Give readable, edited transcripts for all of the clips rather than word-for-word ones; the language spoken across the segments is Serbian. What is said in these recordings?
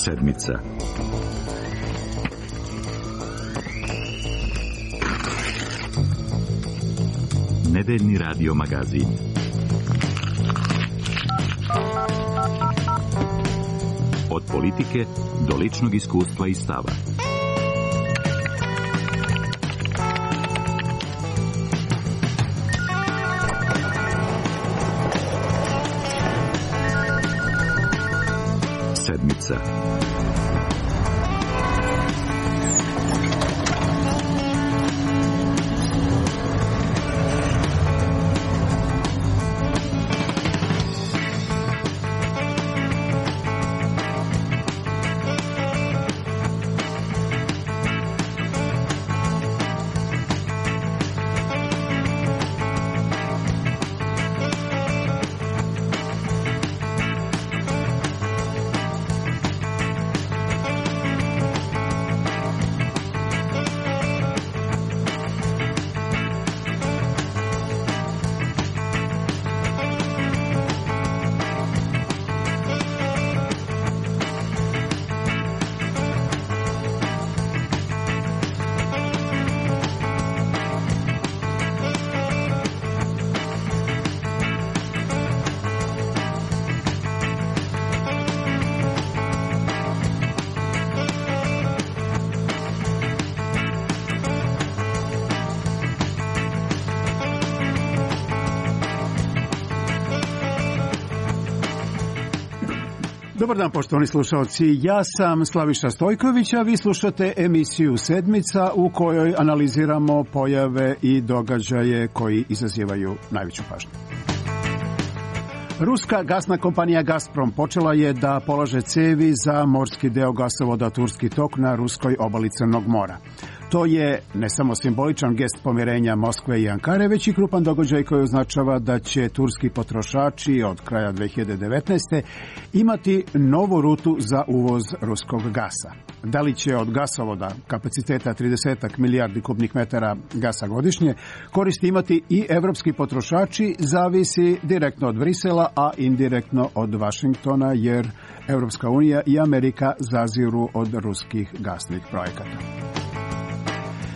Sedmica. Nedeljni radio magazin. Od politike do ličnog iskustva i stava. Sedmica. Dobar dan, poštovani slušalci. Ja sam Slaviša Stojković, a vi slušate emisiju Sedmica u kojoj analiziramo pojave i događaje koji izazivaju najveću pažnju. Ruska gasna kompanija Gazprom počela je da polaže cevi za morski deo gasovoda Turski tok na ruskoj obali Crnog mora. To je ne samo simboličan gest pomirenja Moskve i Ankare, već i krupan događaj koji označava da će turski potrošači od kraja 2019. imati novu rutu za uvoz ruskog gasa. Da li će od gasovoda kapaciteta 30 milijardi kubnih metara gasa godišnje koristi imati i evropski potrošači, zavisi direktno od Brisela, a indirektno od Vašingtona, jer Evropska unija i Amerika zaziru od ruskih gasnih projekata.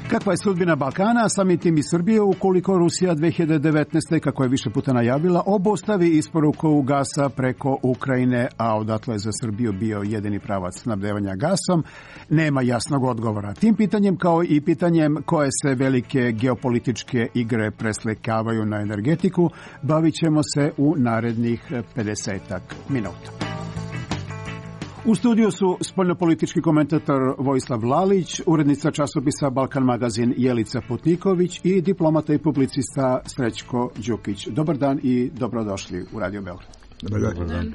Kakva je sudbina Balkana, samim tim i Srbije, ukoliko Rusija 2019. kako je više puta najavila, obustavi isporuku gasa preko Ukrajine, a odatle je za Srbiju bio jedini pravac snabdevanja gasom, nema jasnog odgovora. Tim pitanjem, kao i pitanjem koje se velike geopolitičke igre preslikavaju na energetiku, bavit ćemo se u narednih 50 minuta. U studiju su spoljnopolitički komentator Vojislav Lalić, urednica časopisa Balkan magazin Jelica Putniković i diplomata i publicista Srećko Đukić. Dobar dan i dobrodošli u Radio Beograd. Dobar dan.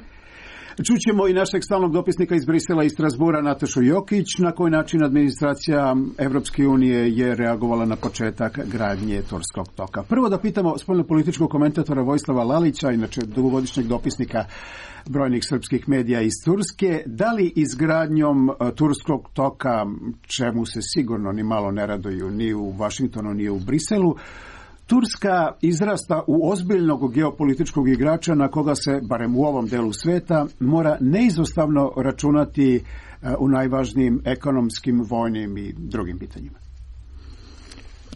Čućemo i našeg stalnog dopisnika iz Brisela i Strasbura, Natašu Jokić, na koji način administracija Evropske unije je reagovala na početak gradnje Turskog toka. Prvo da pitamo spoljnopolitičkog komentatora Vojislava Lalića, inače dugogodišnjeg dopisnika brojnih srpskih medija iz Turske, da li izgradnjom Turskog toka, čemu se sigurno ni malo ne raduju ni u Vašingtonu ni u Briselu, Turska izrasta u ozbiljnog geopolitičkog igrača na koga se, barem u ovom delu sveta, mora neizostavno računati u najvažnijim ekonomskim, vojnim i drugim pitanjima.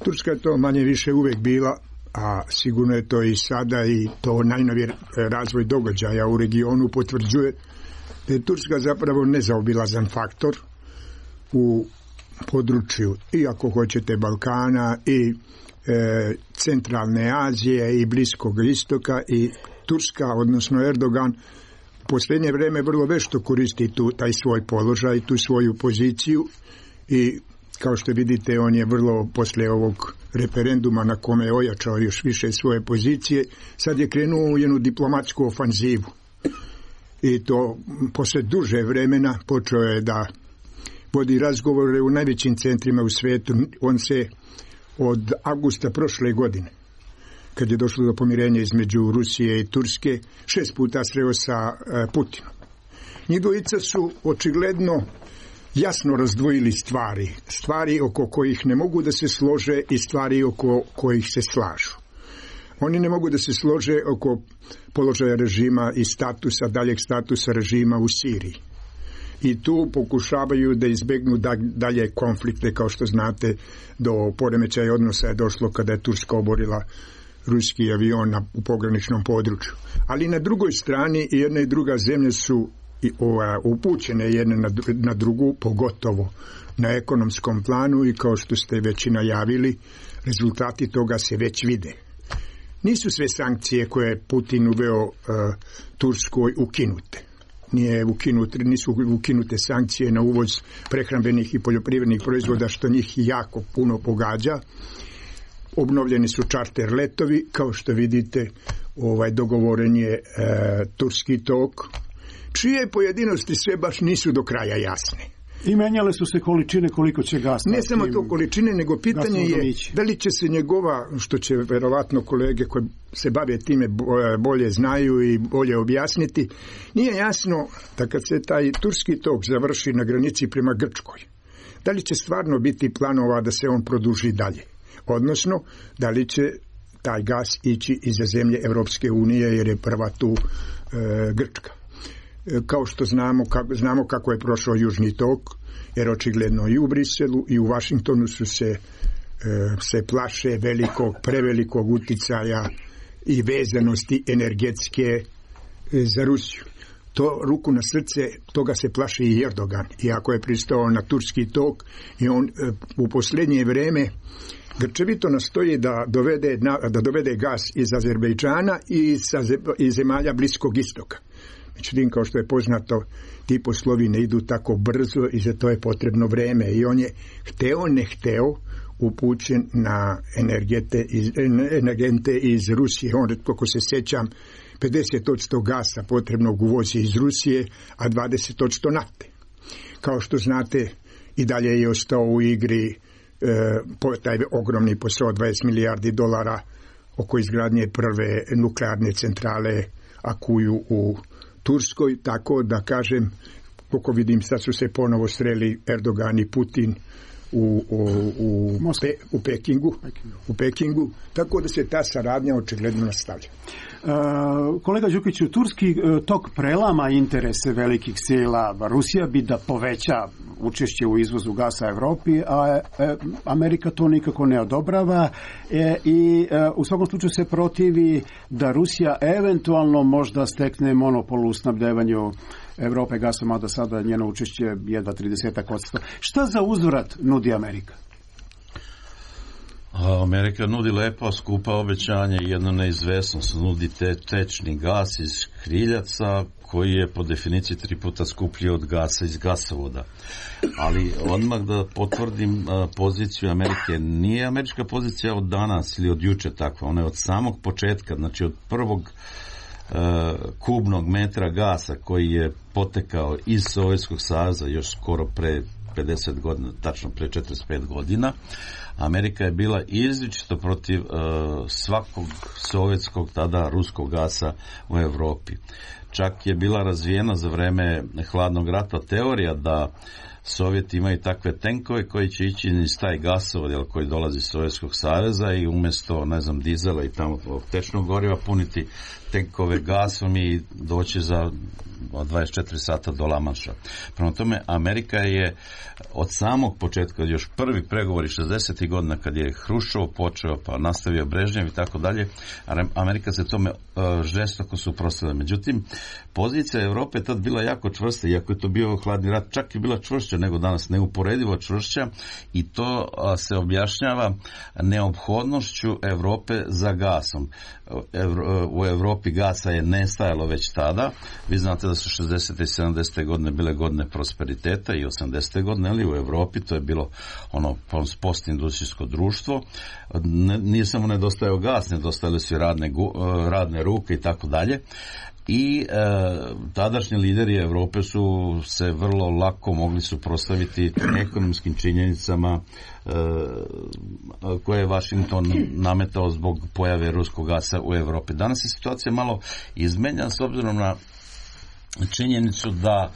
Turska je to manje više uvek bila, a sigurno je to i sada, i to najnoviji razvoj događaja u regionu potvrđuje da je Turska zapravo nezaobilazan faktor u području, i ako hoćete, Balkana i Centralne Azije i Bliskog istoka, i Turska, odnosno Erdogan, u posljednje vreme vrlo vešto koristi taj svoj položaj, tu svoju poziciju, i kao što vidite, on je vrlo posle ovog referenduma na kome je ojačao još više svoje pozicije, sad je krenuo u jednu diplomatsku ofanzivu. I to posle duže vremena počeo je da vodi razgovore u najvećim centrima u svijetu. On se od avgusta prošle godine, kad je došlo do pomirenja između Rusije i Turske, 6 puta sreo sa Putinom. Njih dvojica su očigledno jasno razdvojili stvari oko kojih ne mogu da se slože i stvari oko kojih se slažu. Oni ne mogu da se slože oko položaja režima i daljeg statusa režima u Siriji. i tu pokušavaju da izbegnu dalje konflikte, kao što znate, do poremećaja odnosa je došlo kada je Turska oborila ruski avion u pograničnom području. Ali na drugoj strani i jedna i druga zemlje su upućene jedna na drugu, pogotovo na ekonomskom planu, i kao što ste već i najavili, rezultati toga se već vide. Nisu sve sankcije koje je Putin uveo Turskoj ukinute. Nisu ukinute sankcije na uvoz prehrambenih i poljoprivrednih proizvoda, što njih jako puno pogađa. Obnovljeni su čarter letovi, kao što vidite, dogovoren je turski tok, čije pojedinosti sve baš nisu do kraja jasne. I menjale su se količine koliko će gasa. Ne samo to količine, nego pitanje je da li će se njegova, što će verovatno kolege koji se bave time bolje znaju i bolje objasniti, nije jasno da kad se taj turski tok završi na granici prema Grčkoj, da li će stvarno biti planova da se on produži dalje. Odnosno, da li će taj gas ići iza zemlje Evropske unije, jer je prva tu Grčka. Kao što znamo kako je prošao Južni tok, jer očigledno i u Briselu i u Vašingtonu su se plaše prevelikog uticaja i vezanosti energetske za Rusiju. To, ruku na srce, toga se plaši i Erdogan, iako je pristao na turski tok, i on u posljednje vrijeme grčevito nastoji da dovede gas iz Azerbejdžana i iz zemalja Bliskog istoka. Međutim, kao što je poznato, ti poslovi ne idu tako brzo i za to je potrebno vreme, i on je hteo ne hteo upućen na energente iz Rusije. On, kako se sjećam, 50% gasa potrebnog uvozi iz Rusije, a 20% nafte. Kao što znate, i dalje je ostao u igri taj ogromni posao $20 milijardi oko izgradnje prve nuklearne centrale Akuju u Turskoj, tako da kažem, koliko vidim, sad su se ponovo sreli Erdogan i Putin u Pekingu, tako da se ta saradnja očigledno nastavlja. Kolega Đukiću, turski tok prelama interese velikih sila. Rusija bi da poveća učešće u izvozu gasa Evropi, a Amerika to nikako ne odobrava i u svakom slučaju se protivi da Rusija eventualno možda stekne monopol u snabdevanju Evrope gasom, a da sada njeno učešće jedva 30%. Šta za uzvrat nudi Amerika? Amerika nudi lepa, skupa obećanja i jedno neizvesnost. Nudi tečni gas iz škriljaca, koji je po definiciji 3 puta skuplji od gasa iz gasovoda. Ali odmah da potvrdim poziciju Amerike. Nije američka pozicija od danas ili od juče takva. Ona je od samog početka, znači od prvog kubnog metra gasa koji je potekao iz Sovjetskog saveza još skoro pre 50 godina, tačno pre 45 godina. Amerika je bila izričito protiv svakog sovjetskog, tada ruskog gasa u Evropi. Čak je bila razvijena za vreme hladnog rata teorija da Sovjeti imaju takve tenkove koji će ići iz taj gasovod koji dolazi iz Sovjetskog saveza i umjesto, dizela i tamo tečnog goriva puniti tenkove gasom i doći za 24 sata do La Manša. Prema tome, Amerika je od samog početka, još prvi pregovori 60. godina kad je Hruščov počeo, pa nastavio Brežnjev i tako dalje, Amerika se tome žestoko suprotstavila. Međutim, pozicija Evrope je tad bila jako čvrsta, iako je to bio hladni rat, čak je bila čvršća nego danas, neuporedivo čvršća, i to se objašnjava neophodnošću Evrope za gasom. U Evropi gasa je nestajalo već tada. Vi znate da su 60. i 70. godine bile godine prosperiteta i 80. godine, ali u Evropi to je bilo postindustrijsko društvo. Nije samo nedostajao gas, nedostajale su radne ruke i tako dalje. I tadašnji lideri Evrope su se vrlo lako mogli suprotstaviti ekonomskim činjenicama koje je Washington nametao zbog pojave ruskog gasa u Evropi. Danas je situacija malo izmenjena s obzirom na činjenicu da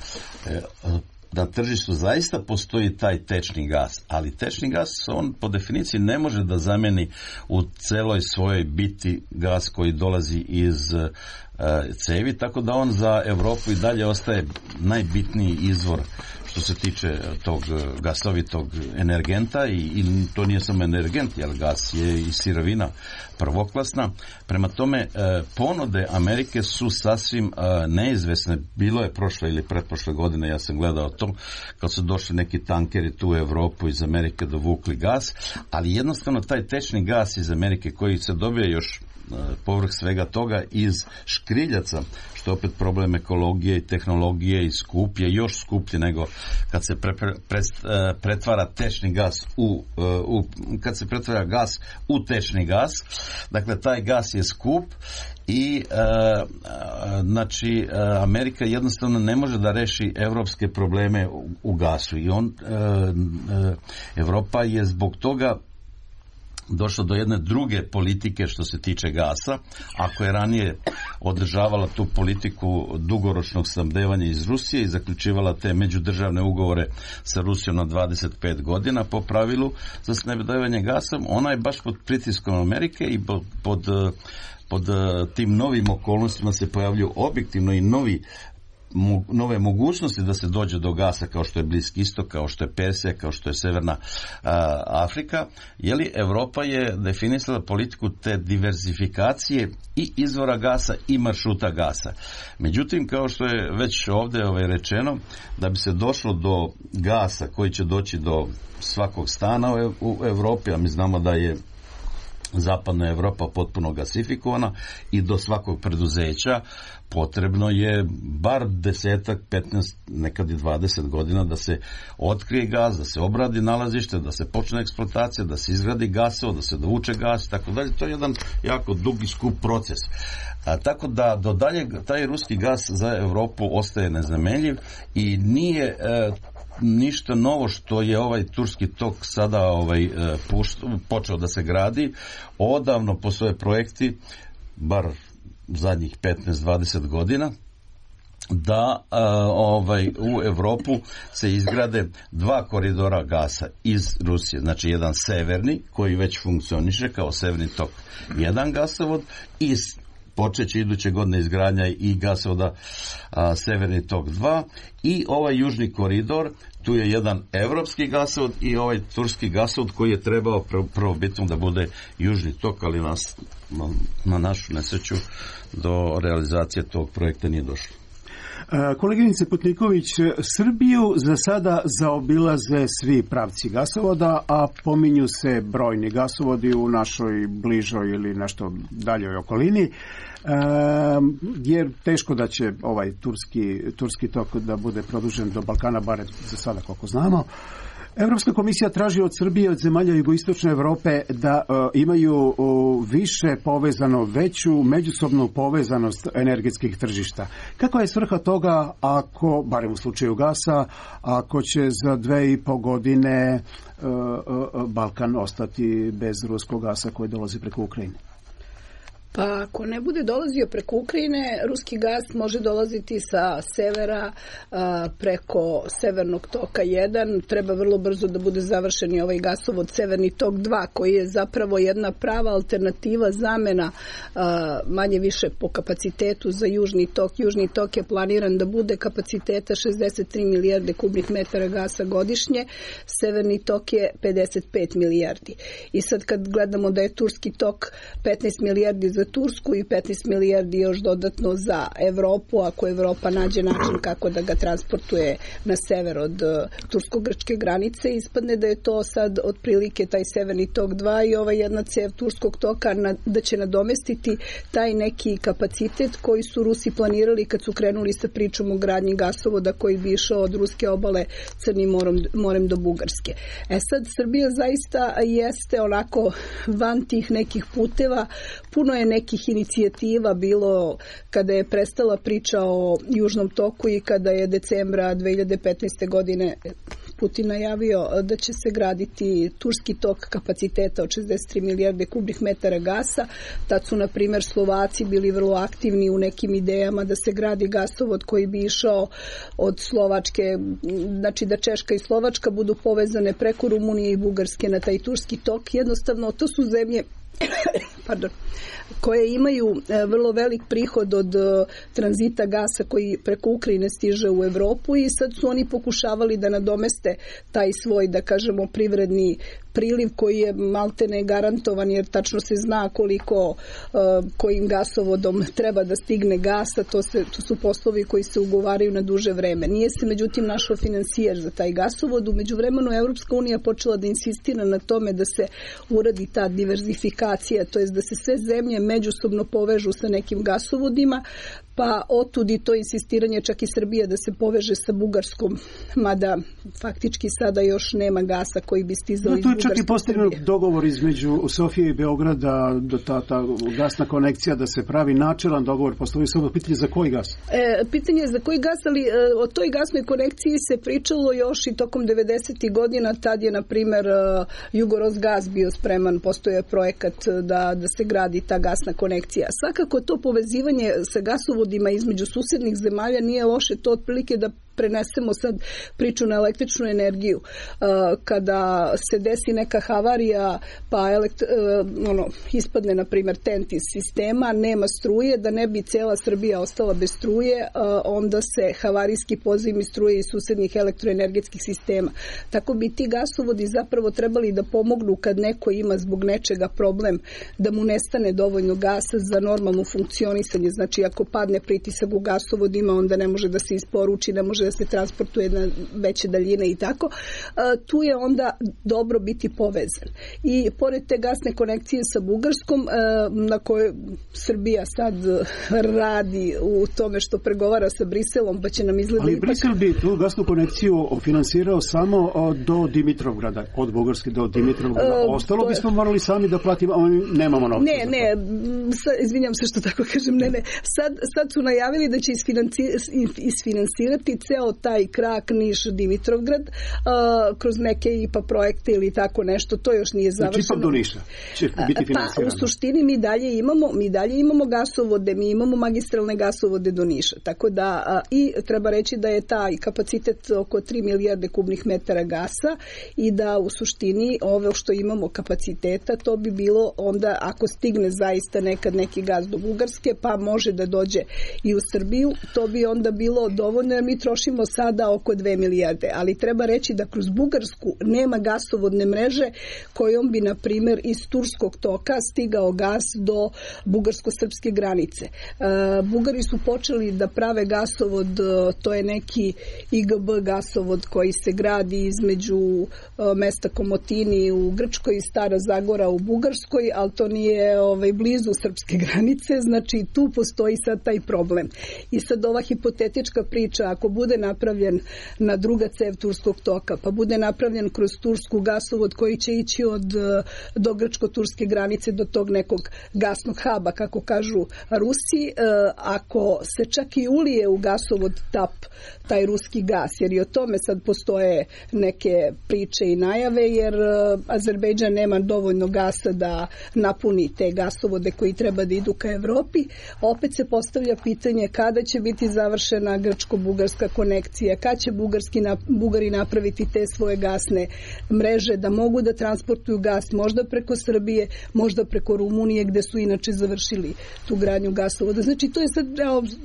na tržištu zaista postoji taj tečni gas, ali tečni gas on po definiciji ne može da zameni u celoj svojoj biti gas koji dolazi iz cevi, tako da on za Europu i dalje ostaje najbitniji izvor što se tiče tog gasovitog energenta i to nije samo energent, jer gas je i sirovina prvoklasna. Prema tome, ponude Amerike su sasvim neizvesne. Bilo je prošle ili pretprošle godine, ja sam gledao to, kad su došli neki tankeri tu u Europu iz Amerike dovukli gas, ali jednostavno taj tečni gas iz Amerike koji se dobije još povrh svega toga iz škriljaca, što je opet problem ekologije i tehnologije i skuplje, još skuplje nego kad se pretvara tečni gas kad se pretvara gas u tečni gas. Dakle, taj gas je skup i znači Amerika jednostavno ne može da reši evropske probleme u gasu i Evropa je zbog toga došlo do jedne druge politike što se tiče gasa. Ako je ranije održavala tu politiku dugoročnog snabdevanja iz Rusije i zaključivala te međudržavne ugovore sa Rusijom na 25 godina po pravilu za snabdevanje gasom, ona je baš pod pritiskom Amerike i pod tim novim okolnostima se pojavljuju objektivno i nove mogućnosti da se dođe do gasa, kao što je Bliski istok, kao što je Persija, kao što je Severna Afrika. Evropa je definisala politiku te diverzifikacije i izvora gasa i maršruta gasa. Međutim, kao što je već ovdje rečeno, da bi se došlo do gasa koji će doći do svakog stana u Evropi, a mi znamo da je zapadna Evropa potpuno gasifikovana, i do svakog preduzeća potrebno je bar 10, 15, nekad i 20 godina da se otkrije gas, da se obradi nalazište, da se počne eksploatacija, da se izgradi gasovod, da se dovuče gas i tako dalje. To je jedan jako dugi skup proces. Tako da do dalje taj ruski gas za Evropu ostaje nezamenljiv i nije ništa novo što je ovaj turski tok sada počeo da se gradi. Odavno postoje projekti, bar zadnjih 15-20 godina, da u Evropu se izgrade 2 koridora gasa iz Rusije. Znači jedan severni koji već funkcioniše kao severni tok 1 gasovod i počeće iduće godine izgradnja i gasovoda Severni tok 2 i ovaj južni koridor, tu je jedan evropski gasovod i ovaj turski gasovod koji je trebao prvobitno da bude južni tok, ali na našu nesreću do realizacije tog projekta nije došlo. Koleginice Putniković, Srbiju za sada zaobilaze svi pravci gasovoda, a pominju se brojni gasovodi u našoj bližoj ili nešto daljoj okolini, jer teško da će ovaj turski tok da bude produžen do Balkana, bare za sada koliko znamo. Europska komisija traži od Srbije, od zemalja jugoistočne Evrope da imaju više povezano, veću međusobnu povezanost energetskih tržišta. Kakva je svrha toga ako, barem u slučaju gasa, ako će za 2,5 godine Balkan ostati bez ruskog gasa koji dolazi preko Ukrajine? Pa ako ne bude dolazio preko Ukrajine, ruski gas može dolaziti sa severa preko Severnog toka 1. Treba vrlo brzo da bude završen i ovaj gasovod Severni tok 2, koji je zapravo jedna prava alternativa, zamena manje više po kapacitetu za Južni tok. Južni tok je planiran da bude kapaciteta 63 milijarde kubnih metara gasa godišnje, Severni tok je 55 milijardi. I sad kad gledamo da je Turski tok 15 milijardi za Tursku i 15 milijardi još dodatno za Evropu, ako Evropa nađe način kako da ga transportuje na sever od tursko-grčke granice, ispadne da je to sad otprilike taj Severni tok 2 i ova jedna cev Turskog toka da će nadomestiti taj neki kapacitet koji su Rusi planirali kad su krenuli sa pričom o gradnji gasovoda koji bi išao od ruske obale Crnim morem do Bugarske. Sad Srbija zaista jeste onako van tih nekih puteva. Puno je nekih inicijativa bilo kada je prestala priča o Južnom toku i kada je decembra 2015. godine Putin najavio da će se graditi Turski tok kapaciteta od 63 milijarde kubnih metara gasa. Tad su, na primjer, Slovaci bili vrlo aktivni u nekim idejama da se gradi gasovod koji bi išao od Slovačke, znači da Češka i Slovačka budu povezane preko Rumunije i Bugarske na taj Turski tok. Jednostavno, to su zemlje koje imaju vrlo velik prihod od tranzita gasa koji preko Ukrajine stiže u Evropu i sad su oni pokušavali da nadomeste taj svoj, da kažemo, privredni priliv koji je maltene garantovan jer tačno se zna koliko kojim gasovodom treba da stigne gasa, to su poslovi koji se ugovaraju na duže vreme. Nije se međutim našao finansijer za taj gasovod. U međuvremenu Evropska unija počela da insistira na tome da se uradi ta diverzifikacija, to jest da se sve zemlje međusobno povežu sa nekim gasovodima, pa otud i to insistiranje čak i Srbija da se poveže sa Bugarskom, mada faktički sada još nema gasa koji bi stizao iz Bugarske. To je čak i postignut dogovor između Sofije i Beograda, ta gasna konekcija da se pravi načelan dogovor, postoji samo pitanje za koji gas? Pitanje je za koji gas, ali o toj gasnoj konekciji se pričalo još i tokom 90. godina, tad je na primer Jugorosgas bio spreman, postoje projekat da se gradi ta gasna konekcija. Svakako to povezivanje sa gasovodima između susednih zemalja nije loše, to otprilike da prenesemo sad priču na električnu energiju. Kada se desi neka havarija, pa ispadne, na primjer, TENT iz sistema, nema struje, da ne bi cela Srbija ostala bez struje, onda se havarijski pozivni struje iz susednih elektroenergetskih sistema. Tako bi ti gasovodi zapravo trebali da pomognu kad neko ima zbog nečega problem, da mu nestane dovoljno gasa za normalno funkcionisanje. Znači, ako padne pritisak u gasovodima, onda ne može da se isporuči, ne može da se transportuje na veće daljine i tako. Tu je onda dobro biti povezan. I pored te gasne konekcije sa Bugarskom, na kojoj Srbija sad radi u tome što pregovara sa Briselom, pa će nam izgleda... Ali Brisel bi tu gasnu konekciju finansirao samo do Dimitrovgrada, od Bugarske do Dimitrovgrada. Ostalo bismo morali sami da platimo, a nemamo novca. Ne, izvinjam se što tako kažem, ne. Sad su najavili da će isfinansirati ceo taj krak Niš-Dimitrovgrad kroz neke IPA projekte ili tako nešto, to još nije završeno. Znači, do Niša će biti finansirano. Pa, u suštini mi dalje imamo gasovode, mi imamo magistralne gasovode do Niša, tako da i treba reći da je taj kapacitet oko 3 milijarde kubnih metara gasa i da u suštini ovo što imamo kapaciteta, to bi bilo onda, ako stigne zaista nekad neki gas do Bugarske, pa može da dođe i u Srbiju, to bi onda bilo dovoljno, jer mi trošimo sada oko 2 milijarde, ali treba reći da kroz Bugarsku nema gasovodne mreže kojom bi, na primjer, iz Turskog toka stigao gas do bugarsko-srpske granice. Bugari su počeli da prave gasovod, to je neki IGB gasovod koji se gradi između mesta Komotini u Grčkoj i Stara Zagora u Bugarskoj, ali to nije blizu srpske granice, znači tu postoji sad taj problem. I sad ova hipotetička priča, ako bude napravljen na druga cev Turskog toka, pa bude napravljen kroz Tursku gasovod koji će ići do grčko-turske granice, do tog nekog gasnog haba, kako kažu Rusi, ako se čak i ulije u gasovod TAP, taj ruski gas, jer i o tome sad postoje neke priče i najave, jer Azerbejdžan nema dovoljno gasa da napuni te gasovode koji treba da idu ka Evropi. Opet se postavlja pitanje kada će biti završena grčko-bugarska konekcija, kad će Bugari napraviti te svoje gasne mreže da mogu da transportuju gas možda preko Srbije, možda preko Rumunije, gde su inače završili tu gradnju gasovoda. Znači, to je sad,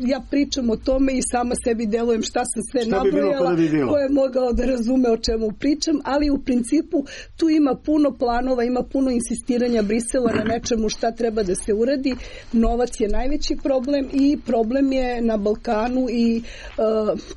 ja pričam o tome i sama sebi delujem šta sam sve nabrojala, ko je mogao da razume o čemu pričam, ali u principu tu ima puno planova, ima puno insistiranja Brisela na nečemu šta treba da se uradi. Novac je najveći problem i problem je na Balkanu i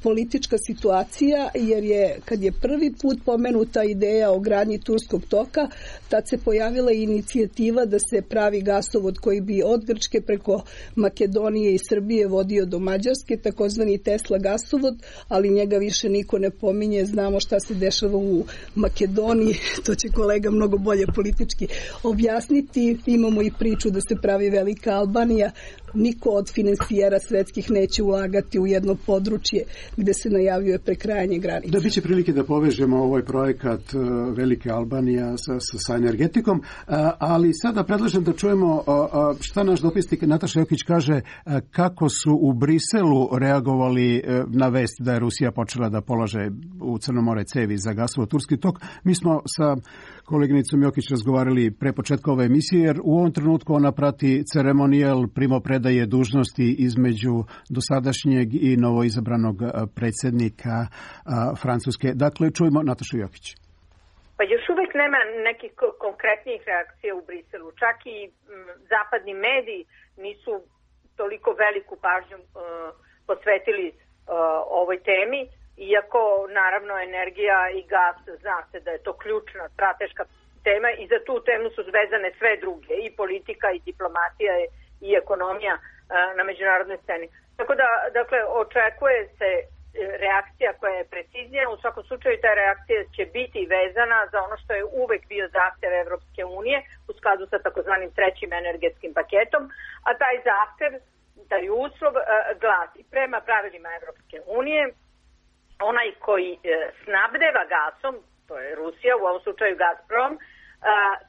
politička situacija, jer je, kad je prvi put pomenuta ideja o gradnji Turskog toka, tad se pojavila inicijativa da se pravi gasovod koji bi od Grčke preko Makedonije i Srbije vodio do Mađarske, takozvani Tesla gasovod, ali njega više niko ne pominje. Znamo šta se dešava u Makedoniji, to će kolega mnogo bolje politički objasniti. Imamo i priču da se pravi Velika Albanija. Niko od finansijera svetskih neće ulagati u jedno područje gde se najavljuje prekrajanje granica. Da, biće prilike da povežemo ovaj projekat Velike Albanija sa energetikom, ali sada predlažem da čujemo šta naš dopisnik Nataša Jokić kaže, kako su u Briselu reagovali na vest da je Rusija počela da polaže u Crno more cevi za gasovod Turski tok. Mi smo sa koleginicom Jokić razgovarali pre početka ove emisije, jer u ovom trenutku ona prati ceremonijal primopredaje dužnosti između dosadašnjeg i novoizabranog predsjednika Francuske. Dakle, čujemo Natašu Jokić. Pa još uvek nema nekih konkretnijih reakcija u Briselu. Čak i zapadni mediji nisu toliko veliku pažnju posvetili ovoj temi, iako naravno energija i gas, zna se da je to ključna strateška tema i za tu temu su vezane sve druge, i politika i diplomatija i ekonomija na međunarodnoj sceni. Tako da, dakle, očekuje se reakcija koja je preciznija. U svakom slučaju ta reakcija će biti vezana za ono što je uvek bio zahtev Evropske unije u skladu sa takozvanim trećim energetskim paketom, a taj zahtev, taj uslov glasi: prema pravilima Evropske unije, onaj koji snabdeva gasom, to je Rusija, u ovom slučaju Gazprom,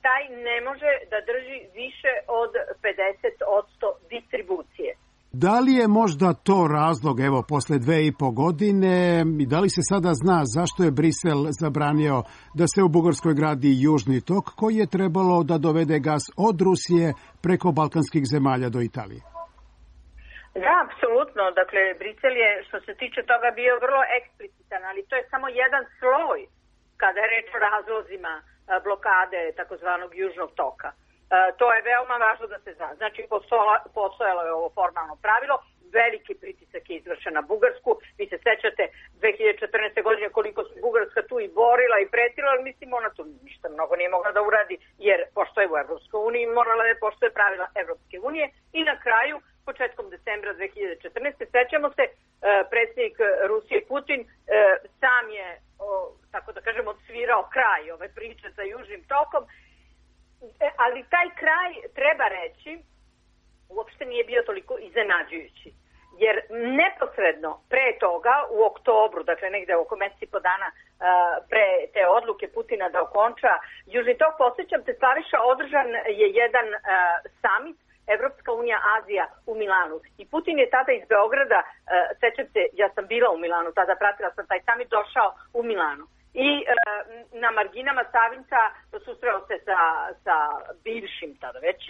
taj ne može da drži više od 50% distribucije. Da li je možda to razlog, evo, posle 2,5 godine, i da li se sada zna zašto je Brisel zabranio da se u Bugarskoj gradi Južni tok, koji je trebalo da dovede gas od Rusije preko balkanskih zemalja do Italije? Da, apsolutno. Dakle, Brisel je, što se tiče toga, bio vrlo eksplicitan, ali to je samo jedan sloj kada je reč o razlozima blokade takozvanog Južnog toka. To je veoma važno da se zna. Znači, postojalo je ovo formalno pravilo, veliki pritisak je izvršen na Bugarsku. Vi se sećate 2014. godine koliko se Bugarska tu i borila i pretila, ali mislim ona tu ništa mnogo nije mogla da uradi, jer pošto je u Evropskoj uniji morala je poštuje pravila Evropske unije. I na kraju, početkom decembra 2014. sećamo se, predsjednik Rusije Putin sam je, tako da kažem, odsvirao kraj ove priče sa Južnim tokom. Ali taj kraj, treba reći, uopšte nije bio toliko iznenađujući. Jer neposredno pre toga, u oktobru, dakle negde oko mesec i po dana pre te odluke Putina da okonča Južni tok, posjećam te, Slaviša, održan je jedan samit Evropska unija Azija u Milanu. I Putin je tada iz Beograda, sećam se, ja sam bila u Milanu, tada pratila sam taj samit, došao u Milanu. I na marginama Savinca susreo se sa bivšim, tada već,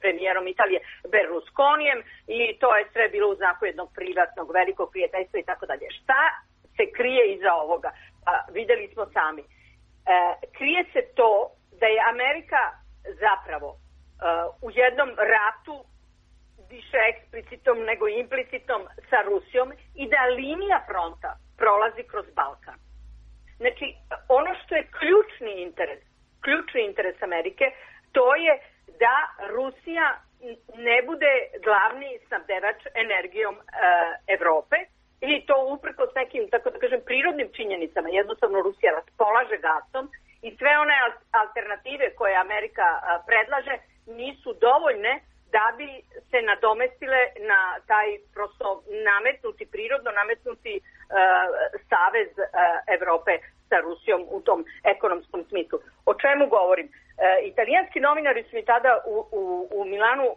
premijerom Italije Berlusconijem, i to je sve bilo u znaku jednog privatnog, velikog prijateljstva i tako dalje. Šta se krije iza ovoga? Videli smo sami. Krije se to da je Amerika zapravo u jednom ratu, više eksplicitnom nego implicitnom, sa Rusijom, i da linija fronta prolazi kroz Balkan. Znači, ono što je ključni interes Amerike, to je da Rusija ne bude glavni snabdevač energijom Evrope, i to uprkos nekim, tako da kažem, prirodnim činjenicama. Jednostavno Rusija raspolaže gasom i sve one alternative koje Amerika predlaže nisu dovoljne da bi se nadomestile na taj prosto prirodno nametnuti savez Evrope sa Rusijom u tom ekonomskom smislu. O čemu govorim? Italijanski novinari su mi tada u Milanu,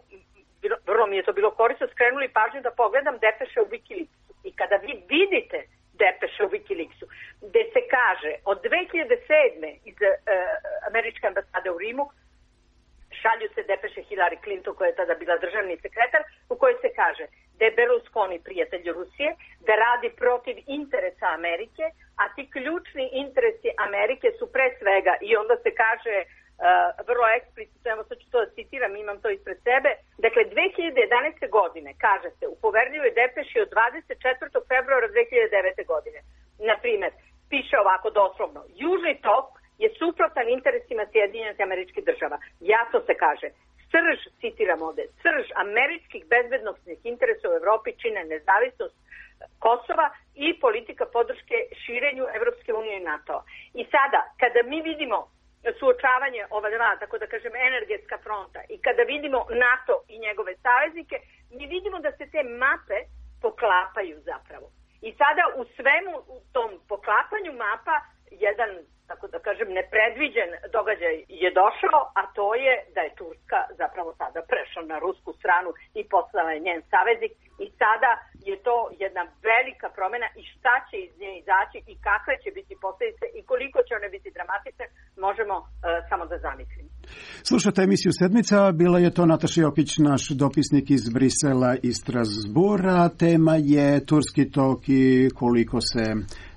vrlo mi je to bilo korisno, skrenuli pažnju da pogledam depeše u Wikileaksu. I kada vi vidite depeše u Wikileaksu, gde se kaže od 2007. iz američke ambasade u Rimu, šalju se depeše Hillary Clinton, koja je tada bila državni sekretar, u kojoj se kaže da je Berlusconi prijatelj Rusije, da radi protiv interesa Amerike, a ti ključni interesi Amerike su pre svega, i onda se kaže vrlo eksplicitno, evo sad ću to da citiram, imam to ispred sebe, dakle 2011. godine, kaže se u poverljivoj depeši od 24. februara 2009. godine, na primjer, piše ovako doslovno: Južni tok je suprotan interesima Sjedinjenih Američkih Država. Jasno se kaže: srž, citiram ovde, srž američkih bezbednosnih interesa u Evropi čine nezavisnost Kosova i politika podrške širenju Evropske unije i NATO. I sada, kada mi vidimo suočavanje ova dva, tako da kažem, energetska fronta, i kada vidimo NATO i njegove saveznike, mi vidimo da se te mape poklapaju zapravo. I sada u svemu u tom poklapanju mapa jedan, tako da kažem, nepredviđen događaj je došao, a to je da je Turska zapravo sada prešla na rusku stranu i postala je njen saveznik, i sada je to jedna velika promjena i šta će iz nje izaći i kakve će biti posljedice i koliko će one biti dramatične, možemo samo da zamislimo. Slušate emisiju Sedmica, bila je to Nataša Jokić, naš dopisnik iz Brisela i Strasbura. Tema je Turski tok i koliko se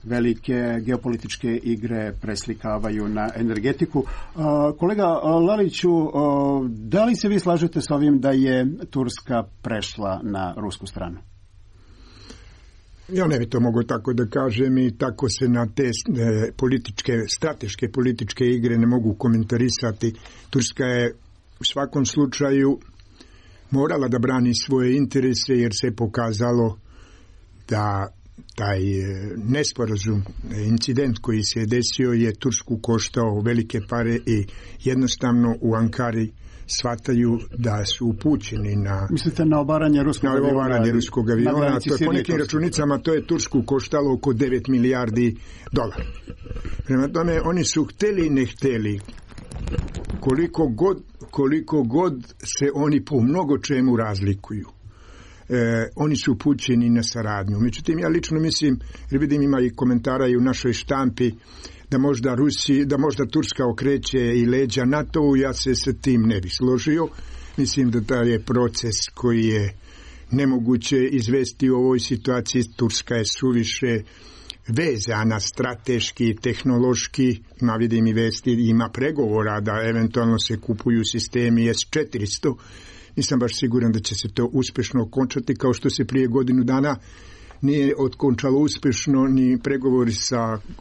velike geopolitičke igre preslikavaju na energetiku. Kolega Laliću, da li se vi slažete s ovim da je Turska prešla na rusku stranu? Ja ne bi to mogao tako da kažem i tako se na te strateške političke igre ne mogu komentarisati. Turska je u svakom slučaju morala da brani svoje interese jer se pokazalo da taj nesporazum, incident koji se je desio je Tursku koštao velike pare i jednostavno u Ankari shvataju da su upućeni na... Mislite na obaranje ruskog aviona? To je po nekim računicama to je Tursku koštalo oko 9 milijardi dolara. Prema tome, oni su hteli i ne hteli. Koliko god se oni po mnogo čemu razlikuju. Oni su upućeni na saradnju. Međutim, ja lično mislim, jer vidim ima i komentara i u našoj štampi, da možda Turska okreće i leđa NATO-u, ja se sa tim ne bi složio. Mislim da taj je proces koji je nemoguće izvesti u ovoj situaciji. Turska je suviše vezana strateški, tehnološki, vidim i vesti, ima pregovora da eventualno se kupuju sistemi S-400. Nisam baš siguran da će se to uspješno okončati, kao što se prije godinu dana nije otkončalo uspješno ni pregovori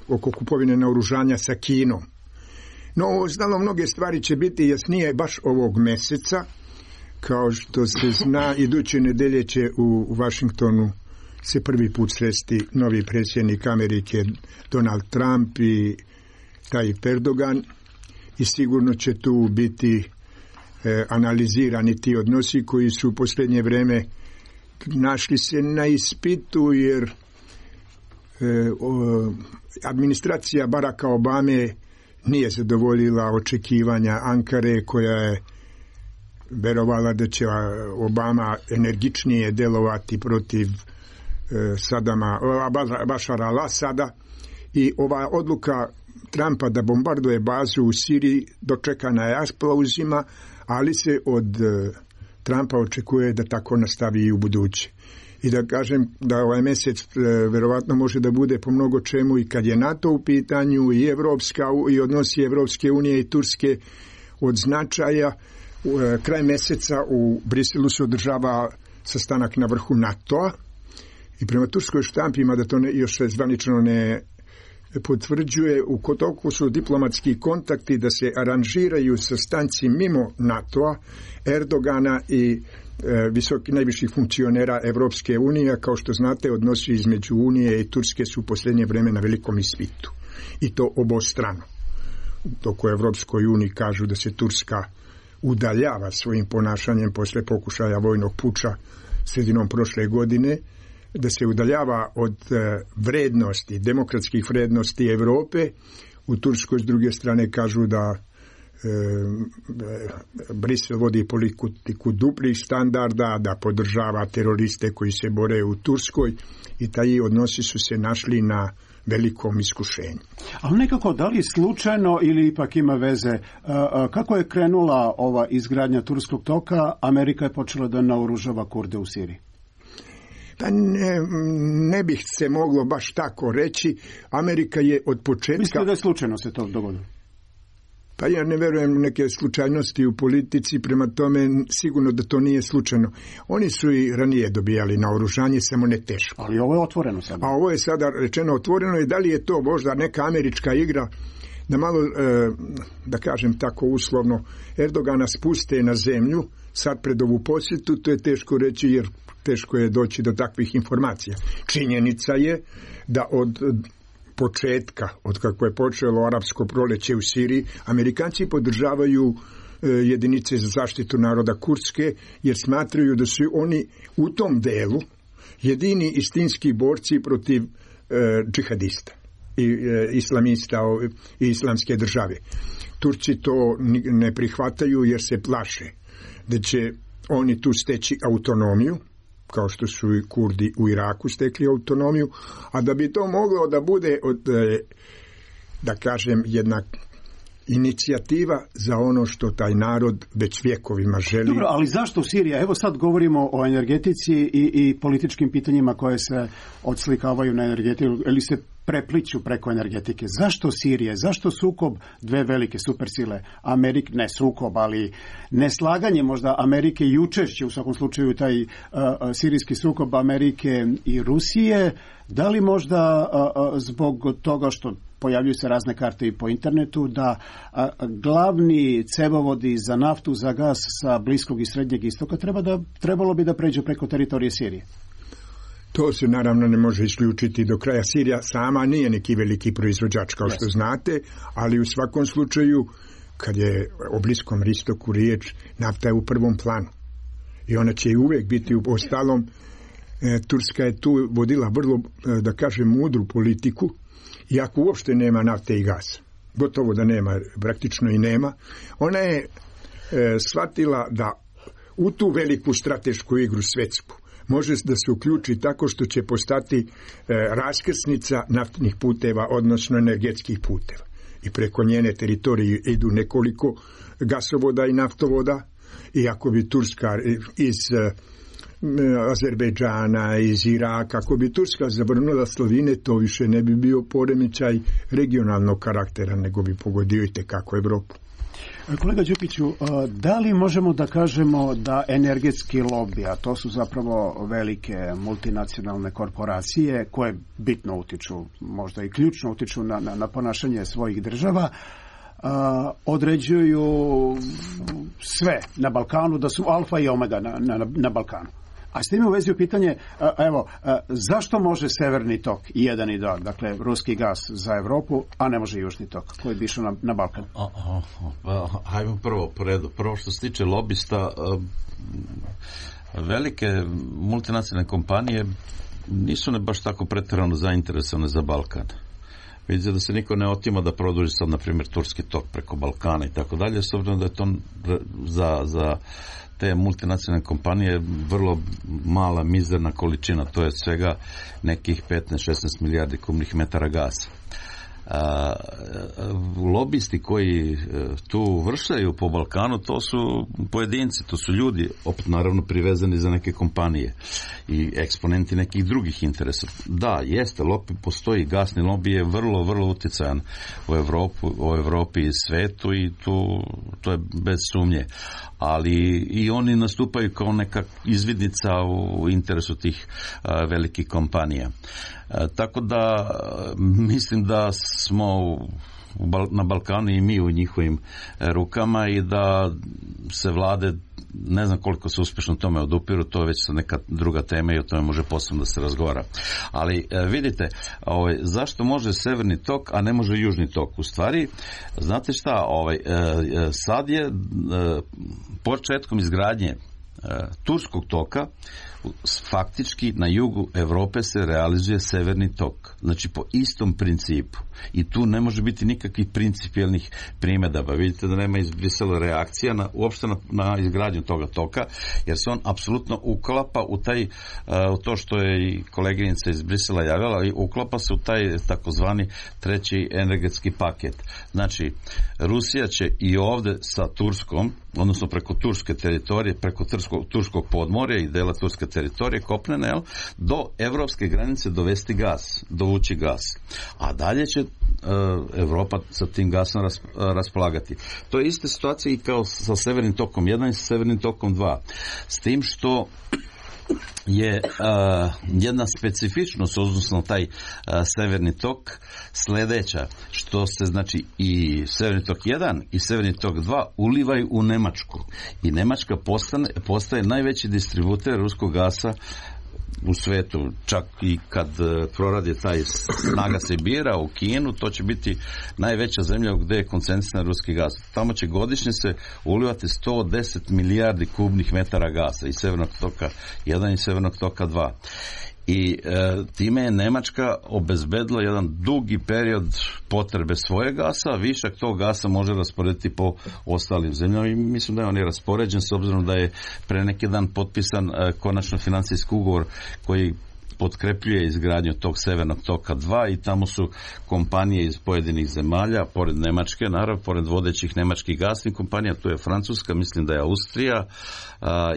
oko kupovine naoružanja sa Kinom. No, znalo mnoge stvari će biti jasnije baš ovog mjeseca. Kao što se zna, iduće nedelje će u Washingtonu se prvi put sresti novi predsjednik Amerike Donald Trump i Tayyip Erdogan i sigurno će tu biti analizirani ti odnosi koji su u posljednje vrijeme našli se na ispitu jer administracija Baracka Obame nije zadovoljila očekivanja Ankare koja je verovala da će Obama energičnije delovati protiv Bašara al-Asada i ova odluka Trumpa da bombarduje bazu u Siriji dočekana je aplauzima, ali se od Trumpa očekuje da tako nastavi i u buduće. I da kažem da ovaj mjesec verovatno može da bude po mnogo čemu i kad je NATO u pitanju i odnosi Evropske unije i Turske od značaja. Kraj mjeseca u Briselu se održava sastanak na vrhu NATO-a i prema turskoj štampima da to još zvanično ne potvrđuje, u toku su diplomatski kontakti da se aranžiraju sastanci mimo NATO-a, Erdogana i najviših funkcionera Evropske unije. Kao što znate, odnosi između Unije i Turske su u posljednje vrijeme na velikom ispitu. I to obostrano. Dok u Evropskoj uniji kažu da se Turska udaljava svojim ponašanjem posle pokušaja vojnog puča sredinom prošle godine, da se udaljava od vrednosti, demokratskih vrednosti Europe. U Turskoj s druge strane kažu da Brisel vodi politiku duplih standarda, da podržava teroriste koji se bore u Turskoj i taj odnosi su se našli na velikom iskušenju. Ali nekako, da li slučajno ili ipak ima veze, kako je krenula ova izgradnja Turskog toka, Amerika je počela da naoružava Kurde u Siriji? Pa ne bih se moglo baš tako reći. Amerika je od početka... Mislite da je slučajno se to dogodilo? Pa ja ne verujem u neke slučajnosti u politici, prema tome sigurno da to nije slučajno. Oni su i ranije dobijali naoružanje, samo ne teško. Ali ovo je otvoreno sada. A ovo je sada rečeno otvoreno i da li je to možda neka američka igra da malo, da kažem tako uslovno, Erdogana spuste na zemlju, sad pred ovu posjetu, to je teško reći jer teško je doći do takvih informacija. Činjenica je da od početka, od kako je počelo arapsko proleće u Siriji, Amerikanci podržavaju jedinice za zaštitu naroda kurdske, jer smatraju da su oni u tom delu jedini istinski borci protiv džihadista i islamista i islamske države. Turci to ne prihvataju jer se plaše da će oni tu steći autonomiju kao što su i Kurdi u Iraku stekli autonomiju, a da bi to moglo da bude da kažem jedna inicijativa za ono što taj narod već vjekovima želi. Dobro, ali zašto Sirija? Evo sad govorimo o energetici i političkim pitanjima koje se odslikavaju na energetiku, ili se prepliću preko energetike. Zašto Sirije? Zašto sukob dve velike supersile? Ne sukob, ali neslaganje možda Amerike i učešće, u svakom slučaju taj sirijski sukob Amerike i Rusije. Da li možda zbog toga što pojavljuju se razne karte i po internetu, da glavni cevovodi za naftu, za gas sa Bliskog i Srednjeg istoka trebalo bi da pređu preko teritorije Sirije? To se naravno ne može isključiti do kraja. Sirija sama nije neki veliki proizvođač, kao što znate, ali u svakom slučaju, kad je o Bliskom istoku riječ, nafta je u prvom planu. I ona će i uvijek biti u ostalom. Turska je tu vodila vrlo, da kažem, mudru politiku, iako uopšte nema nafte i gasa. Gotovo da nema, praktično i nema. Ona je shvatila da u tu veliku stratešku igru svjetsku može da se uključi tako što će postati raskrsnica naftnih puteva, odnosno energetskih puteva. I preko njene teritorije idu nekoliko gasovoda i naftovoda, i ako bi Turska iz Azerbejdžana, iz Iraka, ako bi Turska zabrnula Slovine, to više ne bi bio poremećaj regionalnog karaktera, nego bi pogodio i tekako Evropu. Kolega Đukiću, da li možemo da kažemo da energetski lobby, a to su zapravo velike multinacionalne korporacije koje bitno utiču, možda i ključno utiču na ponašanje svojih država, određuju sve na Balkanu, da su alfa i omega na Balkanu? A s tim u vezi pitanje, zašto može Severni tok i 1 i 2, dakle ruski gas za Evropu, a ne može Južni tok koji bi išao na Balkan? Hajmo prvo po redu. Prvo što se tiče lobista, velike multinacionalne kompanije nisu ne baš tako pretjerano zainteresovane za Balkan. Vidite da se niko ne otima da produži sad, na primjer, Turski tok preko Balkana i tako dalje, s obzirom da je to za te multinacionalne kompanije vrlo mala, mizerna količina. To je svega nekih 15-16 milijardi kubnih metara gasa. Lobisti koji tu vršaju po Balkanu, to su pojedinci, to su ljudi, opet naravno privezani za neke kompanije i eksponenti nekih drugih interesa. Da, jeste, postoji gasni lobby, je vrlo, vrlo utjecajan u Evropi i svetu, i to je bez sumnje. Ali i oni nastupaju kao neka izvidnica u interesu tih velikih kompanija. Tako da mislim da smo na Balkanu i mi u njihovim rukama, i da se vlade, ne znam koliko se uspješno tome odupiru, to je već neka druga tema i o tome može posebno da se razgovara. Ali vidite, zašto može Severni tok, a ne može Južni tok? U stvari, znate šta, sad je početkom izgradnje Turskog toka, faktički na jugu Europe se realizuje Severni tok. Znači po istom principu. I tu ne može biti nikakvih principijelnih primjedaba. Vidite da nema iz Brisela reakcija uopšte na izgradnju toga toka, jer se on apsolutno uklapa u to što je i koleginica iz Brisela javila, i uklapa se u taj takozvani treći energetski paket. Znači, Rusija će i ovde sa Turskom, odnosno preko turske teritorije, preko turskog podmorja i dela turske teritorije kopnene, do evropske granice dovesti gas, dovući gas. A dalje će Evropa sa tim gasom raspolagati. To je ista situacija i kao sa Severnim tokom 1 i sa Severnim tokom 2. S tim što je jedna specifičnost, odnosno taj Severni tok, sljedeća, što se znači i Severni tok 1 i Severni tok 2 ulivaju u Nemačku. I Nemačka postaje najveći distributer ruskog gasa u svetu. Čak i kad proradi taj snaga Sibira u Kinu, to će biti najveća zemlja gdje je koncentrisan ruski gas. Tamo će godišnje se ulivati 110 milijardi kubnih metara gasa iz Severnog toka 1 i Severnog toka 2. i time je Nemačka obezbedila jedan dugi period potrebe svoje gasa, višak tog gasa može rasporediti po ostalim zemljama i mislim da je on je raspoređen s obzirom da je pre neki dan potpisan konačno financijski ugovor koji potkrepljuje izgradnju tog Severnog toka 2 i tamo su kompanije iz pojedinih zemalja, pored Nemačke, naravno, pored vodećih nemačkih gasnih kompanija, tu je Francuska, mislim da je Austrija,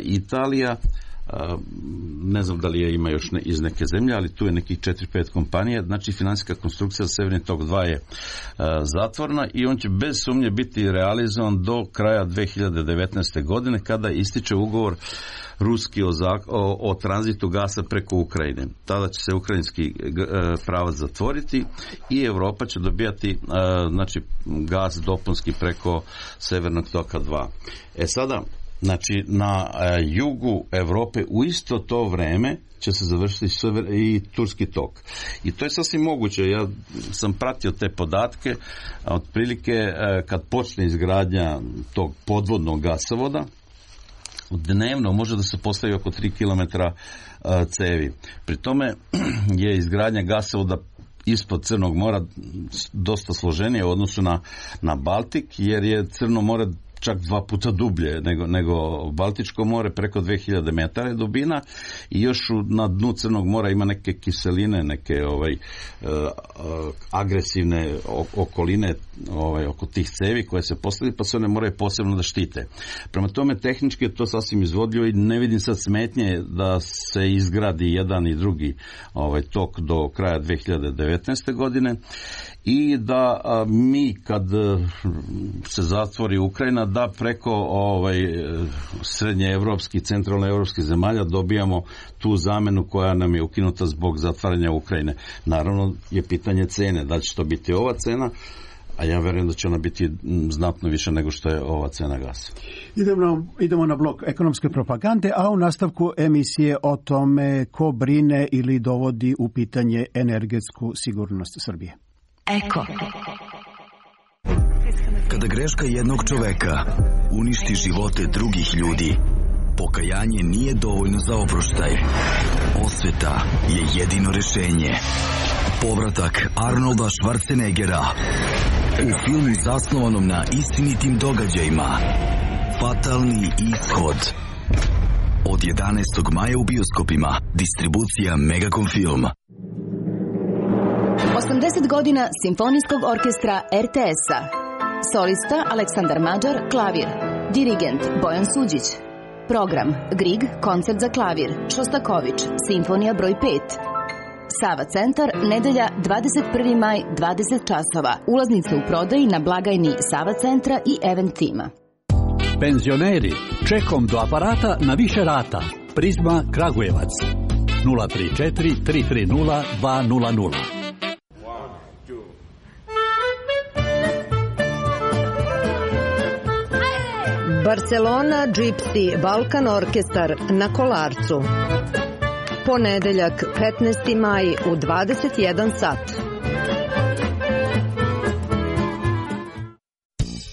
Italija, ne znam da li je ima još iz neke zemlje, ali tu je nekih 4-5 kompanija, znači financijska konstrukcija za Severni tok 2 je zatvorena i on će bez sumnje biti realizovan do kraja 2019. godine kada ističe ugovor ruski o tranzitu gasa preko Ukrajine. Tada će se ukrajinski pravac zatvoriti i Europa će dobijati znači gas dopunski preko Severnog toka 2. Sada, znači na jugu Europe u isto to vreme će se završiti i turski tok. I to je sasvim moguće. Ja sam pratio te podatke. Otprilike kad počne izgradnja tog podvodnog gasovoda, dnevno može da se postavi oko 3 km cevi. Pri tome je izgradnja gasovoda ispod Crnog mora dosta složenije u odnosu na Baltik, jer je Crno more čak 2 puta dublje nego Baltičko more, preko 2000 metara je dubina i još na dnu Crnog mora ima neke kiseline, neke agresivne okoline oko tih cevi koje se postavljaju, pa se one moraju posebno da štite. Prema tome, tehnički je to sasvim izvodljivo i ne vidim sad smetnje da se izgradi jedan i drugi tok do kraja 2019. godine i da mi kad se zatvori Ukrajina, da preko srednjeevropskih, centralnoevropskih zemalja dobijamo tu zamenu koja nam je ukinuta zbog zatvaranja Ukrajine. Naravno je pitanje cene, da će to biti ova cena, a ja verujem da će ona biti znatno više nego što je ova cena gasa. Idemo na blok ekonomske propagande, a u nastavku emisije o tome ko brine ili dovodi u pitanje energetsku sigurnost Srbije. Eko. Kada greška jednog čoveka uništi živote drugih ljudi, pokajanje nije dovoljno za oproštaj. Osveta je jedino rešenje. Povratak Arnolda Schwarzeneggera u filmu zasnovanom na istinitim događajima Fatalni ishod. Od 11. maja u bioskopima. Distribucija Megacom Film. 80 godina Simfonijskog orkestra RTS-a. Solista Aleksandar Mađar, klavir. Dirigent Bojan Suđić. Program Grieg, koncert za klavir. Šostaković, simfonija broj 5. Sava centar, nedelja 21. maj, 20 časova. Ulaznice u prodaji na blagajni Sava centra i Event tima. Penzioneri, čekom do aparata na više rata. Prizma Kragujevac. 034 330 200. Barcelona Gypsy Balkan Orkestar na Kolarcu. Ponedeljak 15. maj u 21 sat.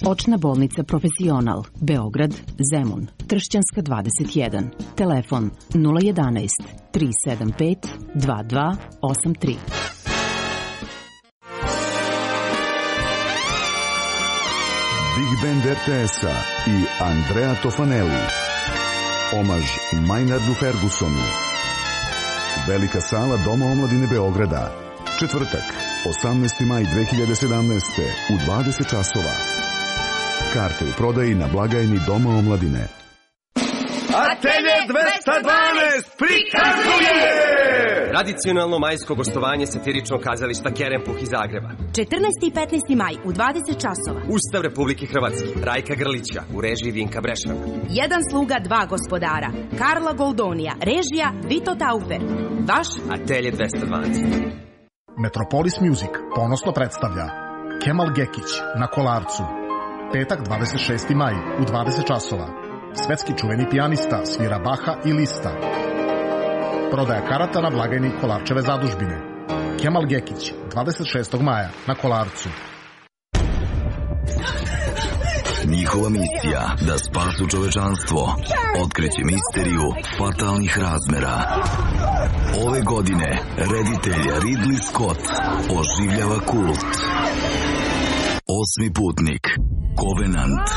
Očna bolnica Profesional, Beograd, Zemun, Tršćanska 21. Telefon 011 375 2283. Big Band RTS-a i Andrea Tofanelli. Omaž Maynardu Fergusonu. Velika sala Doma omladine Beograda. Četvrtak, 18. maj 2017. u 20 časova. Karte u prodaji na blagajni Doma omladine. Atelje 212 prikazuje! Tradicionalno majsko gostovanje satiričnog kazališta Kerempuh iz Zagreba. 14. i 15. maj u 20 časova. Ustav Republike Hrvatske, Rajka Grlića, u režiji Vinka Brešana. Jedan sluga, dva gospodara. Karla Goldonija, režija Vito Taufer. Vaš Atelje 212. Metropolis Music ponosno predstavlja Kemal Gekić na Kolarcu. Petak 26. maj u 20 časova. Svetski čuveni pijanista svira Baha i Lista. Prodaja karata na blagajni Kolarčeve zadužbine. Kemal Gekić, 26. maja na Kolarcu. njihova misija da spasu čovečanstvo otkriće misteriju fatalnih razmera. Ove godine reditelj Ridley Scott oživljava kult. Osmi putnik, Covenant.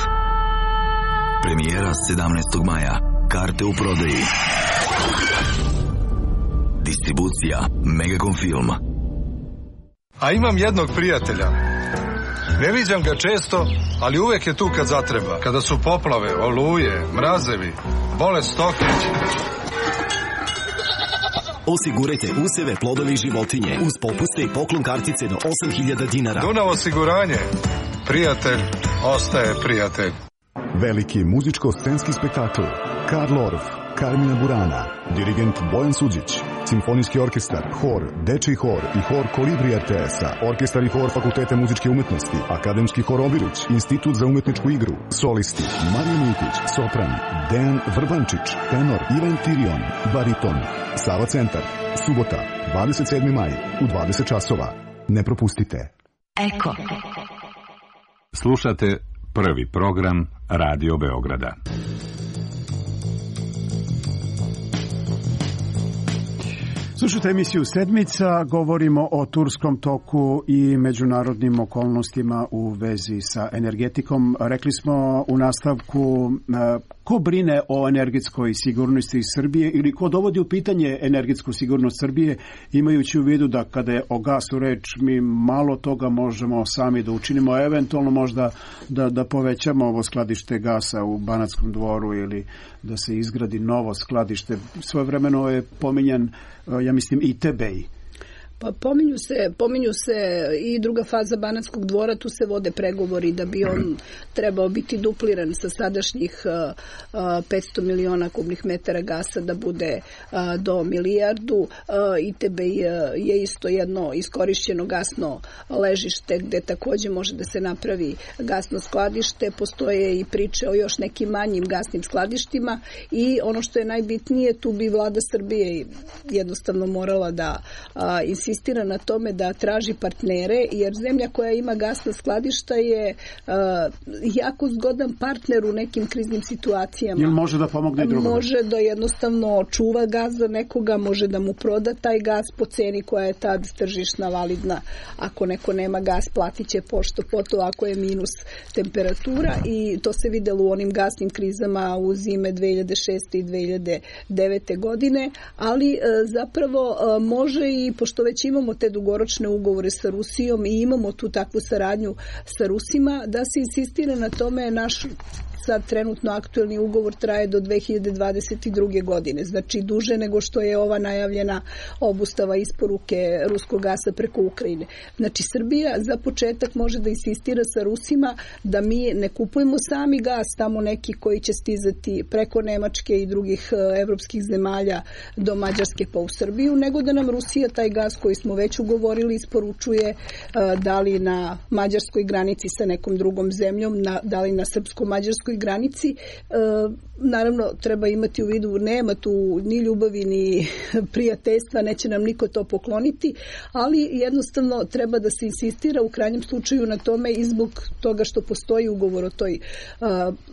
Premijera 17. maja. Karte u prodaji. Distribucija Megacom Film. A imam jednog prijatelja. Ne viđam ga često, ali uvek je tu kad zatreba. Kada su poplave, oluje, mrazevi, bolest stoke. Osigurajte useve, plodove i životinje uz popuste i poklon kartice do 8.000 dinara. Dunav osiguranje. Prijatelj ostaje prijatelj. Veliki muzičko-scenski spektakl Karl Orff, Carmina Burana, dirigent Bojan Suđić, simfonijski orkestar, hor, dečiji hor i hor Kolibri RTS-a, orkestar i hor Fakulteta muzičke umetnosti, akademski hor Obilić, institut za umetničku igru, solisti Marija Mitić, sopran, Dejan Vrbančić, tenor Ivan Tirion, bariton, Sava Centar, subota, 27. maj, u 20 časova. Ne propustite. Eko. Slušate prvi program Radio Beograda. Slušajte emisiju Sedmica, govorimo o turskom toku i međunarodnim okolnostima u vezi sa energetikom. Rekli smo u nastavku ko brine o energetskoj sigurnosti Srbije ili ko dovodi u pitanje energetsku sigurnost Srbije, imajući u vidu da kada je o gasu reč mi malo toga možemo sami da učinimo, eventualno možda da povećamo ovo skladište gasa u Banatskom Dvoru ili da se izgradi novo skladište. Svojevremeno je pominjan, ja mislim, i Tebej. Pa pominju se i druga faza Banatskog Dvora, tu se vode pregovori da bi on trebao biti dupliran sa sadašnjih 500 miliona kubnih metara gasa da bude do milijardu. ITB je isto jedno iskorišćeno gasno ležište gde takođe može da se napravi gasno skladište. Postoje i priče o još nekim manjim gasnim skladištima i ono što je najbitnije, tu bi vlada Srbije jednostavno morala da insistira na tome da traži partnere, jer zemlja koja ima gasna skladišta je jako zgodan partner u nekim kriznim situacijama. Ili može da pomogne drugome? Može da jednostavno čuva gas za nekoga, može da mu proda taj gas po ceni koja je tad tržišna validna. Ako neko nema gas, platit će pošto poto ako je minus temperatura i to se videlo u onim gasnim krizama u zime 2006. i 2009. godine, ali zapravo može i pošto već imamo te dugoročne ugovore sa Rusijom i imamo tu takvu saradnju sa Rusima, da se insistira na tome. Naš sad trenutno aktuelni ugovor traje do 2022. godine, znači duže nego što je ova najavljena obustava isporuke ruskog gasa preko Ukrajine. Znači Srbija za početak može da insistira sa Rusima da mi ne kupujemo sami gas tamo neki koji će stizati preko Nemačke i drugih evropskih zemalja do Mađarske pa u Srbiju, nego da nam Rusija taj gas koji smo već ugovorili isporučuje da li na mađarskoj granici sa nekom drugom zemljom, da li na srpsko-mađarskoj granici. Naravno, treba imati u vidu, nema tu ni ljubavi ni prijateljstva, neće nam niko to pokloniti, ali jednostavno treba da se insistira u krajnjem slučaju na tome i zbog toga što postoji ugovor o toj,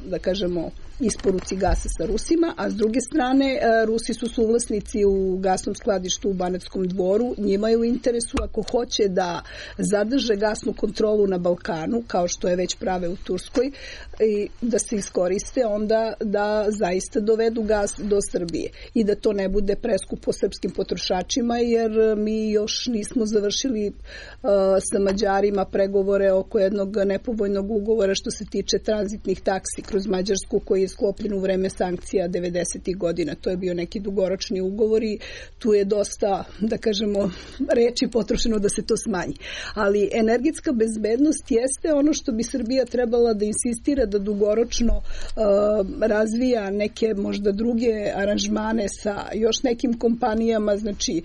da kažemo, isporuci gasa sa Rusima, a s druge strane Rusi su suvlasnici u gasnom skladištu u Banatskom Dvoru, njima je u interesu ako hoće da zadrže gasnu kontrolu na Balkanu, kao što je već prave u Turskoj, i da se iskoriste onda da zaista dovedu gas do Srbije i da to ne bude preskupo srpskim potrošačima, jer mi još nismo završili sa Mađarima pregovore oko jednog nepovoljnog ugovora što se tiče tranzitnih taksi kroz Mađarsku koji je sklopljen u vreme sankcija 90. godina. To je bio neki dugoročni ugovor i tu je dosta, da kažemo, reči potrošeno da se to smanji. Ali energetska bezbednost jeste ono što bi Srbija trebala da insistira da dugoročno razvija neke možda druge aranžmane sa još nekim kompanijama. Znači,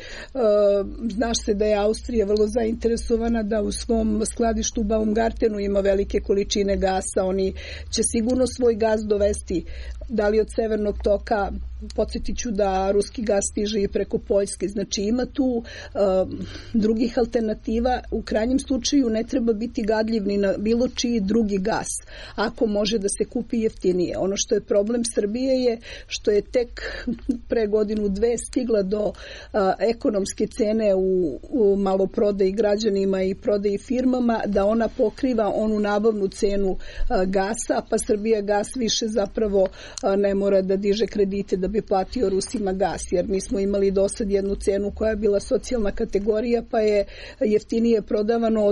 znaš se da je Austrija vrlo zainteresovana da u svom skladištu u Baumgartenu ima velike količine gasa. Oni će sigurno svoj gas dovesti da li od Severnog toka podsjetit ću da ruski gas stiže i preko Poljske. Znači ima tu drugih alternativa. U krajnjem slučaju ne treba biti gadljiv ni na bilo čiji drugi gas, ako može da se kupi jeftinije. Ono što je problem Srbije je što je tek pre godinu dve stigla do ekonomske cene u maloprodaji građanima i prodaji firmama, da ona pokriva onu nabavnu cenu gasa, pa Srbija gas više zapravo ne mora da diže kredite da bi platio Rusima gas, jer mi smo imali do sad jednu cenu koja je bila socijalna kategorija, pa je jeftinije prodavano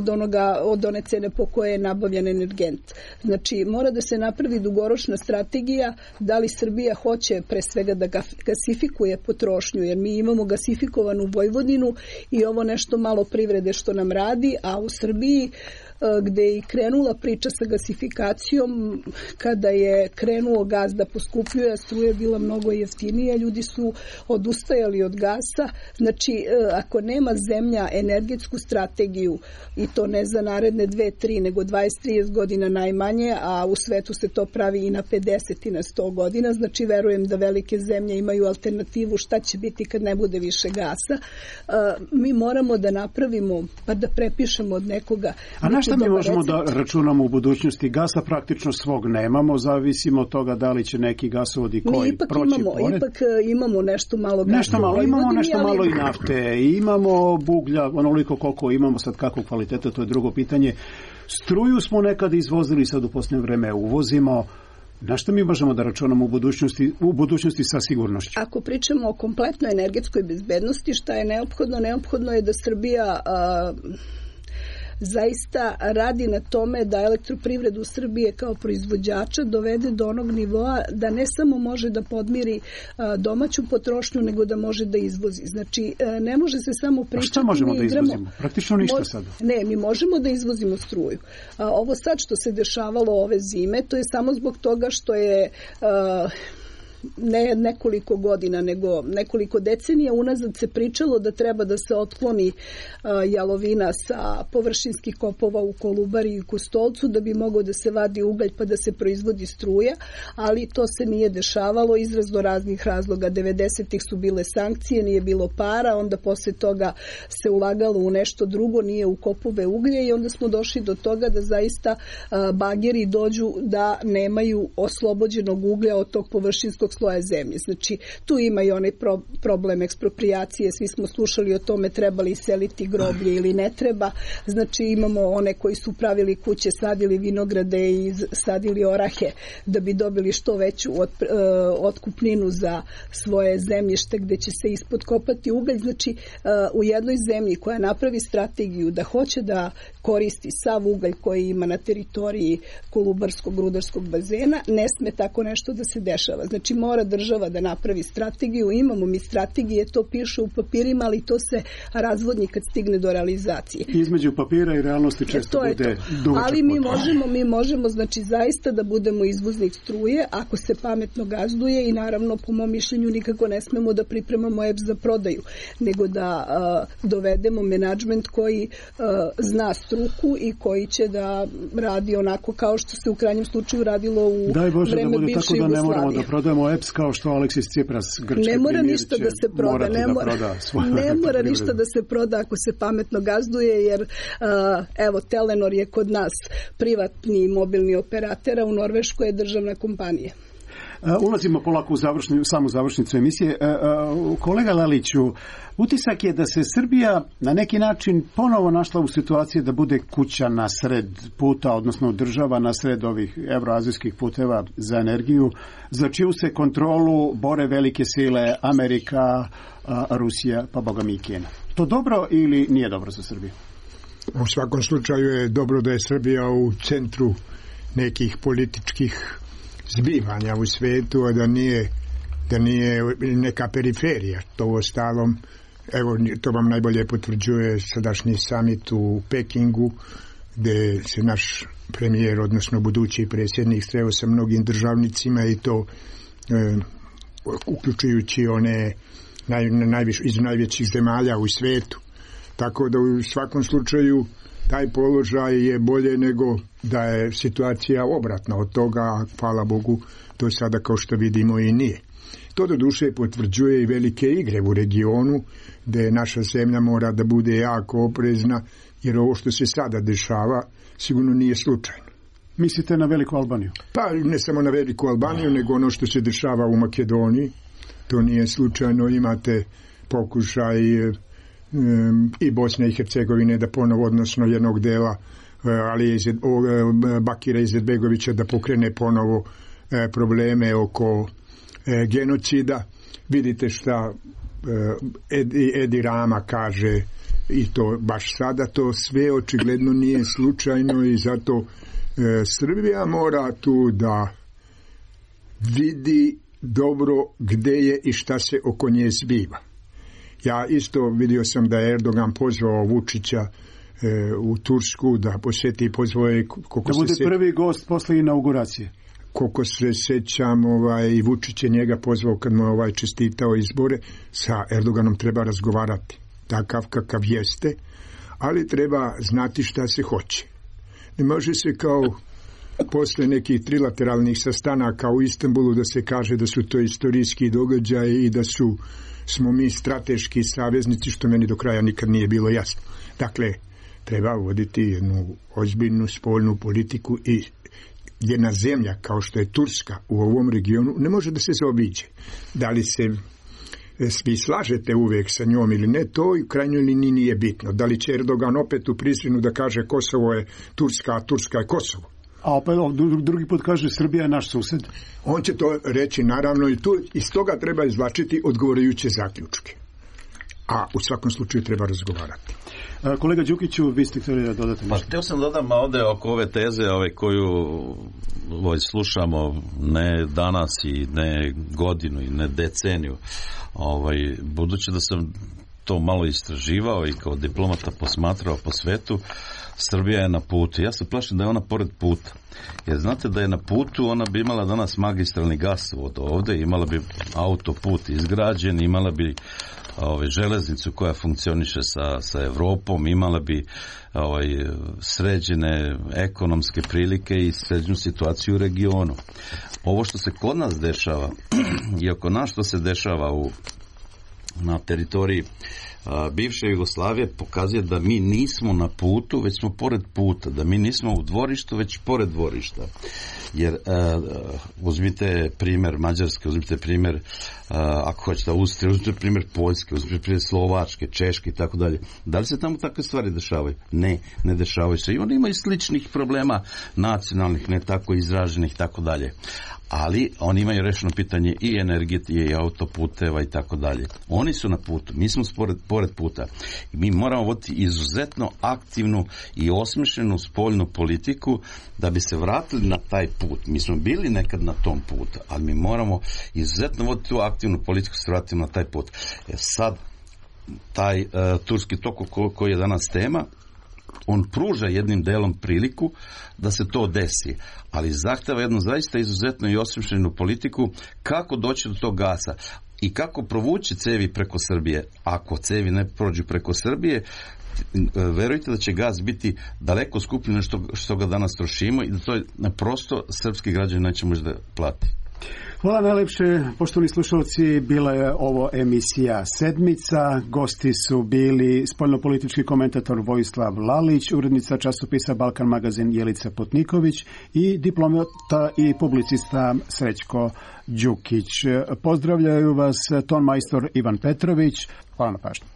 od one cene po koje je nabavljen energent. Znači, mora da se napravi dugoročna strategija da li Srbija hoće pre svega da gasifikuje potrošnju, jer mi imamo gasifikovanu Vojvodinu i ovo nešto malo privrede što nam radi, a u Srbiji gde je i krenula priča sa gasifikacijom, kada je krenuo gas da poskupljuje, struja je bila mnogo jeftinija, ljudi su odustajali od gasa. Znači, ako nema zemlja energetsku strategiju, i to ne za naredne 2-3, nego 20-30 godina najmanje, a u svetu se to pravi i na 50 i na 100 godina, znači verujem da velike zemlje imaju alternativu šta će biti kad ne bude više gasa. Mi moramo da napravimo, pa da prepišemo od nekoga. A na šta mi možemo da računamo u budućnosti? Gasa praktično svog nemamo, zavisimo od toga da li će neki gasovodi koji proći pored. Ipak imamo nešto malo gasa. Imamo nešto malo i nafte, imamo buglja, onoliko koliko imamo, sad kakvog kvaliteta, to je drugo pitanje. Struju smo nekada izvozili, sad u posljednje vreme uvozimo. Na što mi možemo da računamo u budućnosti sa sigurnošću? Ako pričamo o kompletnoj energetskoj bezbednosti, šta je neophodno? Neophodno je da Srbija zaista radi na tome da elektroprivredu Srbije kao proizvođača dovede do onog nivoa da ne samo može da podmiri domaću potrošnju, nego da može da izvozi. Znači, ne može se samo pričati... A šta možemo da izvozimo? Praktično ništa sada. Ne, mi možemo da izvozimo struju. Ovo sad što se dešavalo ove zime, to je samo zbog toga što je... ne nekoliko godina, nego nekoliko decenija unazad se pričalo da treba da se otkloni jalovina sa površinskih kopova u Kolubari i Kostolcu da bi mogao da se vadi ugalj pa da se proizvodi struja, ali to se nije dešavalo iz raznoraznih razloga. 90-ih su bile sankcije, nije bilo para, onda posle toga se ulagalo u nešto drugo, nije u kopove uglje i onda smo došli do toga da zaista bageri dođu da nemaju oslobođenog uglja od tog površinskog sloja zemlje. Znači, tu ima i onaj problem ekspropriacije, svi smo slušali o tome treba li seliti groblje ili ne treba. Znači, imamo one koji su pravili kuće, sadili vinograde i sadili orahe da bi dobili što veću otkupninu za svoje zemljište gde će se ispod kopati ugalj. Znači, u jednoj zemlji koja napravi strategiju da hoće da koristi sav ugalj koji ima na teritoriji Kolubarskog rudarskog bazena, ne sme tako nešto da se dešava. Znači, mora država da napravi strategiju, imamo mi strategije, to piše u papirima, ali to se razvodnji kad stigne do realizacije. Između papira i realnosti često bude dugačak. Ali mi možemo, znači, zaista da budemo izvoznik struje, ako se pametno gazduje i naravno, po mom mišljenju, nikako ne smemo da pripremamo EPS za prodaju, nego da dovedemo menadžment koji zna struku i koji će da radi onako kao što se u krajnjem slučaju radilo u vreme bivše Jugoslavije. Daj Bože da bude tako da ne moramo da prodajemo EPS kao što Aleksis Tsipras, grčki ne mora premijer, ništa da se proda, ne mora ništa da se proda ako se pametno gazduje, jer evo, Telenor je kod nas privatni mobilni operater, a u Norveškoj je državna kompanija. Ulazimo polako u samu završnicu emisije. Kolega Laliću, utisak je da se Srbija na neki način ponovo našla u situaciji da bude kuća na sred puta, odnosno država na sred ovih evroazijskih puteva za energiju, za čiju se kontrolu bore velike sile Amerika, Rusija, pa boga mi i Kina. To dobro ili nije dobro za Srbiju? U svakom slučaju je dobro da je Srbija u centru nekih političkih zbivanja u svetu, a da nije neka periferija. To u ostalom, evo, to vam najbolje potvrđuje sadašnji samit u Pekingu, gde se naš premijer, odnosno budući predsjednik, sreo sa mnogim državnicima i to uključujući one iz najvećih zemalja u svetu. Tako da u svakom slučaju taj položaj je bolje nego da je situacija obratna od toga, a hvala Bogu to sada kao što vidimo i nije. To do duše potvrđuje i velike igre u regionu, gde naša zemlja mora da bude jako oprezna, jer ovo što se sada dešava sigurno nije slučajno. Mislite na Veliku Albaniju? Pa ne samo na Veliku Albaniju, nego ono što se dešava u Makedoniji. To nije slučajno. Imate pokušaj i Bosne i Hercegovine da ponovo, odnosno jednog dela Bakira Izetbegovića da pokrene ponovo probleme oko genocida. Vidite šta Edi Rama kaže, i to baš sada. To sve očigledno nije slučajno i zato Srbija mora tu da vidi dobro gde je i šta se oko nje zbiva. Ja isto vidio sam da je Erdogan pozvao Vučića u Tursku da posjeti i pozvao je da bude prvi gost posle inauguracije. Koliko se sećam, i Vučić je njega pozvao kad mu čestitao izbore. Sa Erdoganom treba razgovarati takav kakav jeste, ali treba znati šta se hoće. Ne može se kao posle nekih trilateralnih sastanaka u Istanbulu da se kaže da su to istorijski događaji i da smo mi strateški saveznici, što meni do kraja nikad nije bilo jasno. Dakle, treba voditi jednu ozbiljnu spoljnu politiku i jedna zemlja kao što je Turska u ovom regionu ne može da se zaobiđe. Da li se svi slažete uvijek sa njom ili ne, to u krajnjoj liniji nije bitno. Da li će Erdogan opet u Prisinu da kaže Kosovo je Turska, a Turska je Kosovo? A opet drugi put kaže Srbija je naš sused. On će to reći naravno i tu, iz toga treba izvlačiti odgovarajuće zaključke. A u svakom slučaju treba razgovarati. Kolega Đukiću, vi ste htjeli da dodate nešto? Pa htio sam dodam ovdje oko ove teze koju slušamo ne danas i ne godinu i ne deceniju. Budući da sam to malo istraživao i kao diplomata posmatrao po svetu, Srbija je na putu. Ja se plašim da je ona pored puta. Jer znate da je na putu, ona bi imala danas magistralni gasovod ovdje, imala bi autoput izgrađen, imala bi železnicu koja funkcioniše sa Evropom, imala bi sređene ekonomske prilike i sređenu situaciju u regionu. Ovo što se kod nas dešava i oko nas što se dešava na teritoriji bivše Jugoslavije pokazuje da mi nismo na putu, već smo pored puta, da mi nismo u dvorištu, već pored dvorišta. Jer uzmite primjer Mađarske, uzmite primjer ako hoćete Austrije, uzmite primjer Poljske, uzmite primjer Slovačke, Češke i tako dalje. Da li se tamo takve stvari dešavaju? Ne dešavaju se. I oni imaju sličnih problema nacionalnih, ne tako izraženih i tako dalje. Ali oni imaju rešeno pitanje i energije i autoputeva i tako dalje. Oni su na putu, mi smo pored puta. I mi moramo voditi izuzetno aktivnu i osmišljenu spoljnu politiku da bi se vratili na taj put. Mi smo bili nekad na tom putu, ali mi moramo izuzetno voditi tu aktivnu politiku da se vratimo na taj put. Sad, taj turski tok koji je danas tema, on pruža jednim delom priliku da se to desi, ali zahteva jednu zaista izuzetno i osmišljenu politiku kako doći do tog gasa i kako provući cevi preko Srbije. Ako cevi ne prođu preko Srbije, verujte da će gas biti daleko skuplji nego što ga danas trošimo i da to prosto srpski građani neće moći da plati. Hvala najlepše, poštovani slušalci, bila je ovo emisija Sedmica. Gosti su bili spoljnopolitički komentator Vojislav Lalić, urednica časopisa Balkan magazin Jelica Potniković i diplomata i publicista Srećko Đukić. Pozdravljaju vas ton majstor Ivan Petrović. Hvala na pažnju.